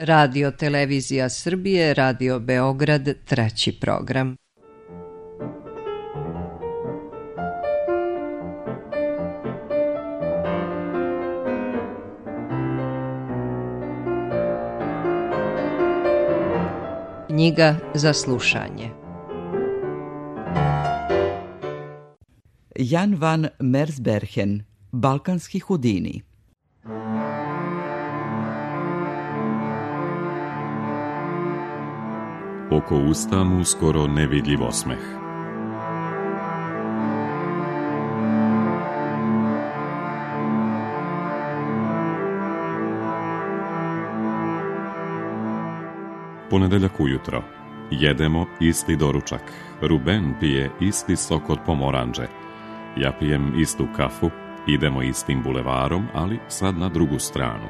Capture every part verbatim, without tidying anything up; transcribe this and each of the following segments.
Radio Televizija Srbije, Radio Beograd, treći program. Knjiga za slušanje. Jan van Mersbergen, Balkanski Houdini. Oko usta mu skoro nevidljiv osmeh. Ponedeljak ujutro. Jedemo isti doručak. Ruben pije isti sok od pomoranđe. Ja pijem istu kafu. Idemo istim bulevarom, ali sad na drugu stranu.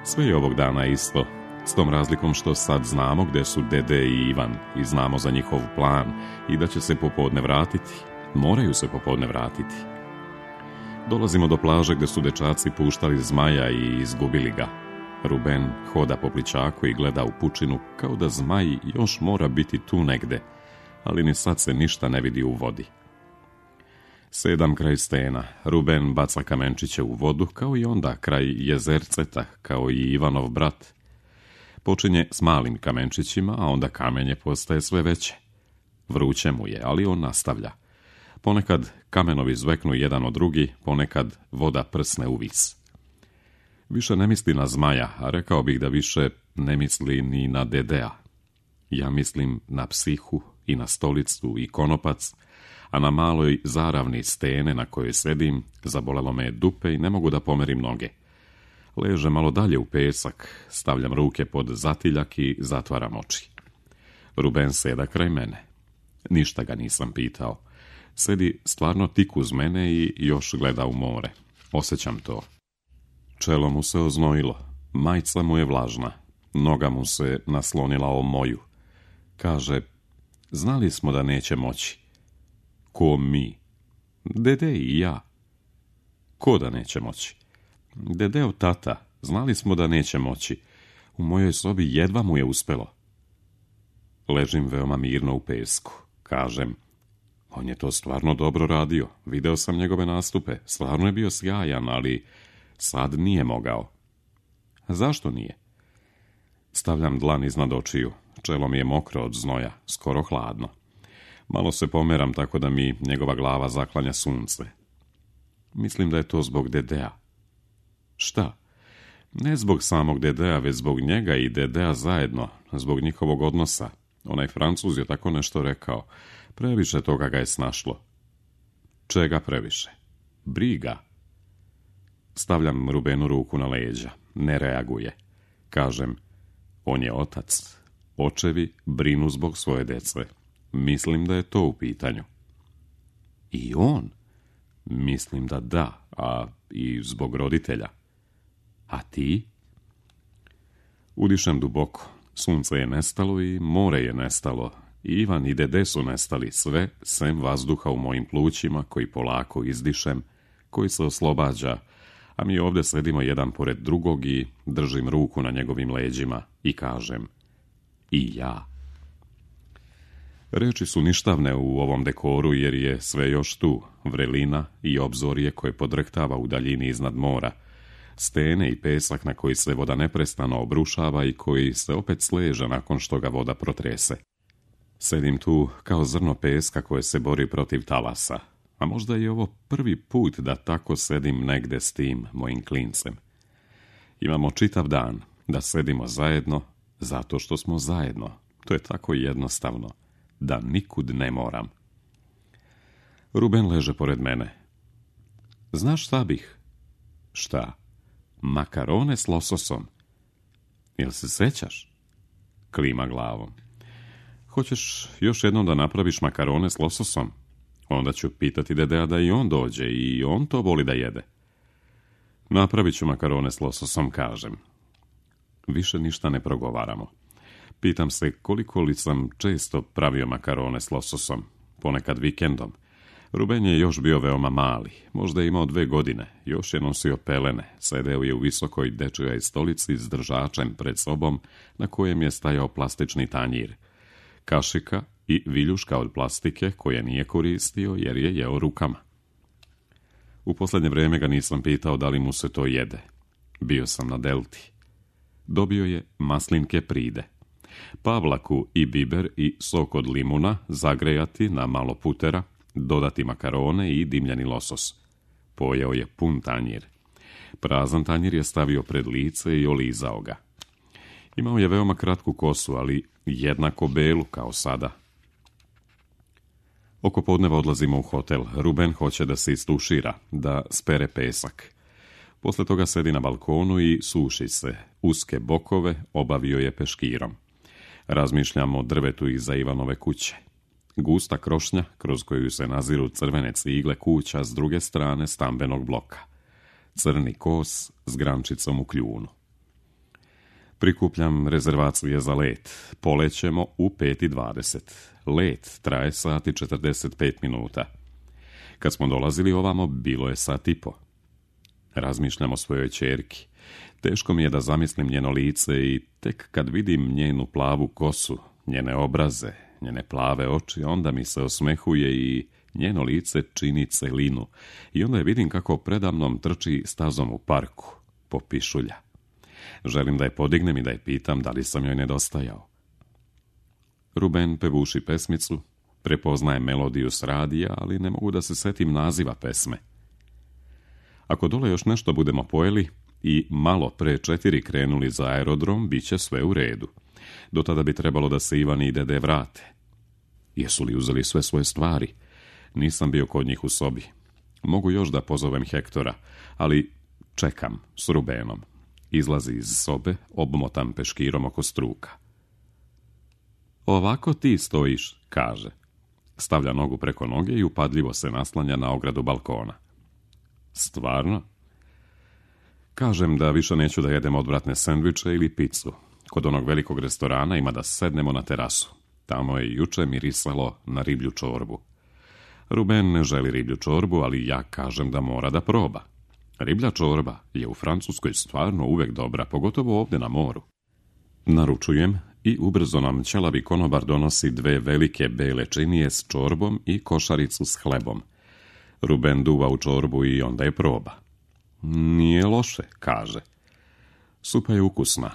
Sve je ovog dana isto, s tom razlikom što sad znamo gde su Dede i Ivan i znamo za njihov plan i da će se popodne vratiti. Moraju se popodne vratiti. Dolazimo do plaže gde su dečaci puštali zmaja i izgubili ga. Ruben hoda po plićaku i gleda u pučinu kao da zmaj još mora biti tu negde, ali ni sad se ništa ne vidi u vodi. Sedam kraj stena, Ruben baca kamenčiće u vodu kao i onda kraj jezerceta, kao i Ivanov brat. Počinje s malim kamenčićima, a onda kamenje postaje sve veće. Vruće mu je, ali on nastavlja. Ponekad kamenovi zveknu jedan od drugi, ponekad voda prsne u vis. Više ne misli na zmaja, a rekao bih da više ne misli ni na Dedea. Ja mislim na psihu i na stolicu i konopac, a na maloj zaravni stene na kojoj sedim zabolelo me dupe i ne mogu da pomerim noge. Ležem malo dalje u pesak, stavljam ruke pod zatiljak i zatvaram oči. Ruben seda kraj mene. Ništa ga nisam pitao. Sedi stvarno tik uz mene i još gleda u more. Osjećam to. Čelo mu se oznojilo, majica mu je vlažna, noga mu se naslonila o moju. Kaže, znali smo da neće moći. Ko mi? Dede i ja. Ko da neće moći? Dedeo tata, znali smo da neće moći. U mojoj sobi jedva mu je uspelo. Ležim veoma mirno u pesku. Kažem, on je to stvarno dobro radio. Video sam njegove nastupe. Stvarno je bio sjajan, ali sad nije mogao. Zašto nije? Stavljam dlan iznad očiju. Čelo mi je mokro od znoja, skoro hladno. Malo se pomeram tako da mi njegova glava zaklanja sunce. Mislim da je to zbog Dedea. Šta? Ne zbog samog Dedea, već zbog njega i Dedea zajedno, zbog njihovog odnosa. Onaj Francuz je tako nešto rekao. Previše toga ga je snašlo. Čega previše? Briga. Stavljam Rubenu ruku na leđa. Ne reaguje. Kažem, on je otac. Očevi brinu zbog svoje dece. Mislim da je to u pitanju. I on? Mislim da da, a i zbog roditelja. A ti? Udišem duboko. Sunce je nestalo i more je nestalo. Ivan i Dede su nestali, sve sem vazduha u mojim plućima koji polako izdišem, koji se oslobađa, a mi ovdje sedimo jedan pored drugog i držim ruku na njegovim leđima i kažem, i ja. Reči su ništavne u ovom dekoru jer je sve još tu, vrelina i obzorje koje podrhtava u daljini iznad mora, stene i pesak na koji se voda neprestano obrušava i koji se opet sleže nakon što ga voda protrese. Sedim tu kao zrno peska koje se bori protiv talasa, a možda je ovo prvi put da tako sedim negde s tim mojim klincem. Imamo čitav dan da sedimo zajedno zato što smo zajedno. To je tako jednostavno da nikud ne moram. Ruben leže pored mene. Znaš šta bih? Šta? Makarone s lososom. Jel se sećaš? Klima glavom. Hoćeš još jednom da napraviš makarone s lososom? Onda ću pitati Dedea da i on dođe i on to voli da jede. Napravit ću makarone s lososom, kažem. Više ništa ne progovaramo. Pitam se koliko li sam često pravio makarone s lososom, ponekad vikendom. Ruben je još bio veoma mali, možda je imao dve godine, još je nosio pelene, sedeo je u visokoj dečijoj stolici s držačem pred sobom na kojem je stajao plastični tanjir, kašika i viljuška od plastike koje nije koristio jer je jeo rukama. U posljednje vrijeme ga nisam pitao da li mu se to jede. Bio sam na delti. Dobio je maslinke pride, pavlaku i biber i sok od limuna zagrejati na malo putera, dodati makarone i dimljeni losos. Pojeo je pun tanjir. Prazan tanjir je stavio pred lice i olizao ga. Imao je veoma kratku kosu, ali jednako belu kao sada. Oko podneva odlazimo u hotel. Ruben hoće da se istušira, da spere pesak. Posle toga sedi na balkonu i suši se. Uske bokove obavio je peškirom. Razmišljamo o drvetu iza Ivanove kuće. Gusta krošnja kroz koju se naziru crvene cigle kuća s druge strane stambenog bloka. Crni kos s grančicom u kljunu. Prikupljam rezervacije za let. Polećemo u pet i dvadeset. Let traje sat i četrdeset pet minuta. Kad smo dolazili ovamo, bilo je sat i po. Razmišljam o svojoj ćerki. Teško mi je da zamislim njeno lice i tek kad vidim njenu plavu kosu, njene obraze, njene plave oči, onda mi se osmehuje i njeno lice čini celinu. I onda je vidim kako predamnom trči stazom u parku, popišulja. Želim da je podignem i da je pitam da li sam joj nedostajao. Ruben pevuši pesmicu, prepoznaje melodiju s radija, ali ne mogu da se setim naziva pesme. Ako dole još nešto budemo pojeli i malo pre četiri krenuli za aerodrom, bit će sve u redu. Do tada bi trebalo da se Ivan i dede vrate. Jesu li uzeli sve svoje stvari? Nisam bio kod njih u sobi. Mogu još da pozovem Hektora, ali čekam s Rubenom. Izlazi iz sobe, obmotan peškirom oko struka. Ovako ti stojiš, kaže. Stavlja nogu preko noge i upadljivo se naslanja na ogradu balkona. Stvarno? Kažem da više neću da jedem odvratne sendviče ili picu. Kod onog velikog restorana ima da sednemo na terasu. Tamo je juče mirisalo na riblju čorbu. Ruben ne želi riblju čorbu, ali ja kažem da mora da proba. Riblja čorba je u Francuskoj stvarno uvek dobra, pogotovo ovdje na moru. Naručujem i ubrzo nam ćelavi konobar donosi dve velike bele činije s čorbom i košaricu s hlebom. Ruben duva u čorbu i onda je proba. Nije loše, kaže. Supa je ukusna.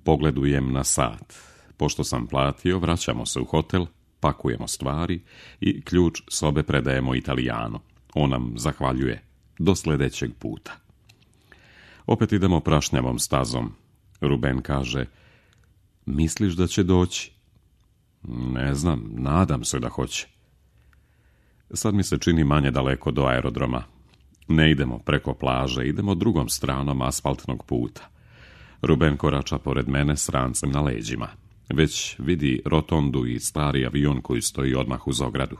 Pogledujem na sat. Pošto sam platio, vraćamo se u hotel, pakujemo stvari i ključ sobe predajemo Italijanu. On nam zahvaljuje. Do sljedećeg puta. Opet idemo prašnjavom stazom. Ruben kaže, misliš da će doći? Ne znam, nadam se da hoće. Sad mi se čini manje daleko do aerodroma. Ne idemo preko plaže, idemo drugom stranom asfaltnog puta. Ruben korača pored mene s rancem na leđima. Već vidi rotondu i stari avion koji stoji odmah uz ogradu.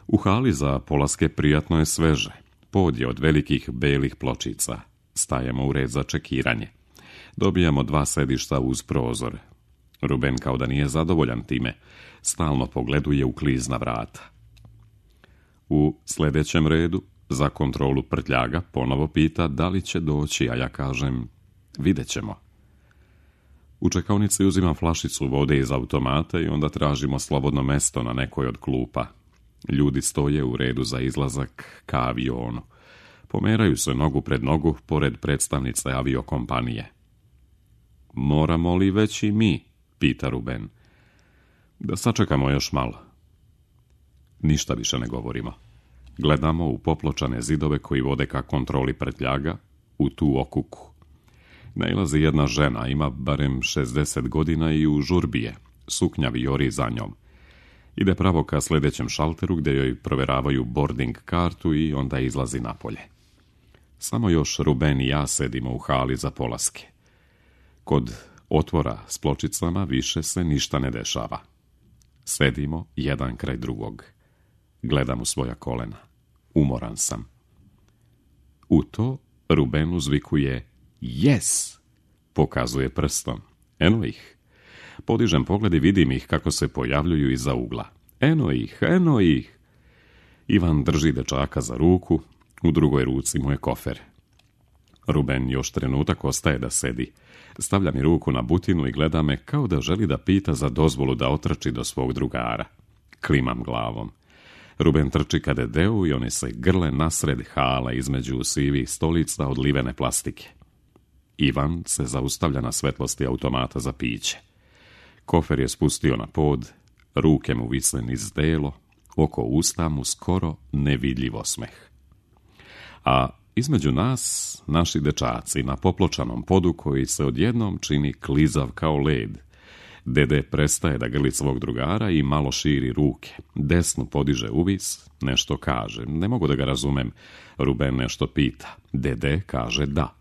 U hali za polaske prijatno je sveže. Pod je od velikih belih pločica. Stajemo u red za čekiranje. Dobijamo dva sedišta uz prozor. Ruben kao da nije zadovoljan time. Stalno pogleduje u klizna vrata. U sljedećem redu, za kontrolu prtljaga, ponovo pita da li će doći, a ja kažem, vidjet ćemo. U čekaonici uzimam flašicu vode iz automata i onda tražimo slobodno mesto na nekoj od klupa. Ljudi stoje u redu za izlazak ka avionu. Pomeraju se nogu pred nogu pored predstavnice aviokompanije. Moramo li već i mi? Pita Ruben. Da sačekamo još malo. Ništa više ne govorimo. Gledamo u popločane zidove koji vode ka kontroli prtljaga, u tu okuku. Nailazi jedna žena, ima barem šezdeset godina i u žurbi je. Suknja vijori za njom. Ide pravo ka sljedećem šalteru gdje joj proveravaju boarding kartu i onda izlazi napolje. Samo još Ruben i ja sedimo u hali za polaske. Kod otvora s pločicama više se ništa ne dešava. Sedimo jedan kraj drugog. Gledam u svoja kolena. Umoran sam. U to Ruben uzvikuje yes! Pokazuje prstom. Eno ih. Podižem pogled i vidim ih kako se pojavljuju iza ugla. Eno ih, eno ih! Ivan drži dečaka za ruku, u drugoj ruci mu je kofer. Ruben još trenutak ostaje da sedi. Stavlja mi ruku na butinu i gleda me kao da želi da pita za dozvolu da otrči do svog drugara. Klimam glavom. Ruben trči ka Dedeu i oni se grle nasred hala između sivih stolica od livene plastike. Ivan se zaustavlja na svetlosti automata za piće. Kofer je spustio na pod, ruke mu vise niz delo, oko usta mu skoro nevidljiv osmeh. A između nas, naši dečaci na popločanom podu koji se odjednom čini klizav kao led. Dede prestaje da grli svog drugara i malo širi ruke. Desnu podiže uvis, nešto kaže. Ne mogu da ga razumem. Ruben nešto pita. Dede kaže da.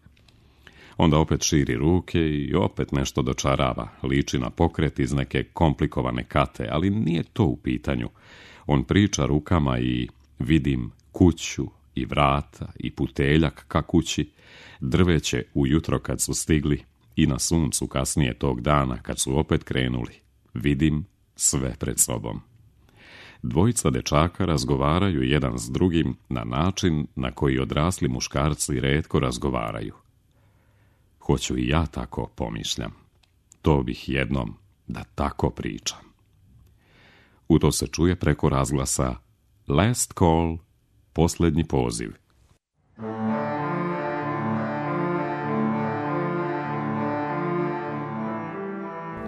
Onda opet širi ruke i opet nešto dočarava. Liči na pokret iz neke komplikovane kate, ali nije to u pitanju. On priča rukama i vidim kuću i vrata i puteljak ka kući, drveće ujutro kad su stigli i na suncu kasnije tog dana kad su opet krenuli. Vidim sve pred sobom. Dvojica dečaka razgovaraju jedan s drugim na način na koji odrasli muškarci retko razgovaraju. Hoću i ja tako, pomišljam. To bih jednom da tako pričam. U to se čuje preko razglasa Last call, posljednji poziv.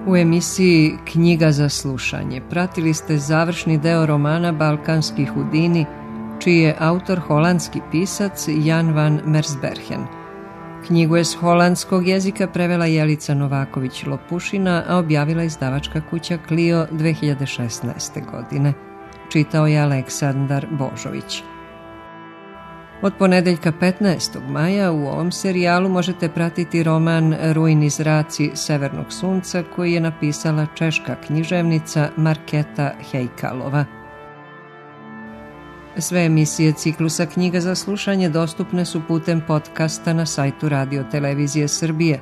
U emisiji Knjiga za slušanje pratili ste završni deo romana Balkanski hudini, čiji je autor holandski pisac Jan van Mersbergen. Knjigu je s holandskog jezika prevela Jelica Novaković-Lopušina, a objavila izdavačka kuća Clio dve hiljade šesnaeste. godine. Čitao je Aleksandar Božović. Od ponedeljka petnaestog maja u ovom serijalu možete pratiti roman Rujni zraci Severnog sunca koji je napisala češka književnica Marketa Hejkalova. Sve emisije ciklusa Knjiga za slušanje dostupne su putem podcasta na sajtu Radio Televizije Srbije,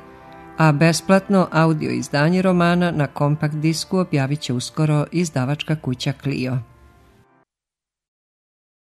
a besplatno audio izdanje romana na kompakt disku objavit će uskoro izdavačka kuća Clio.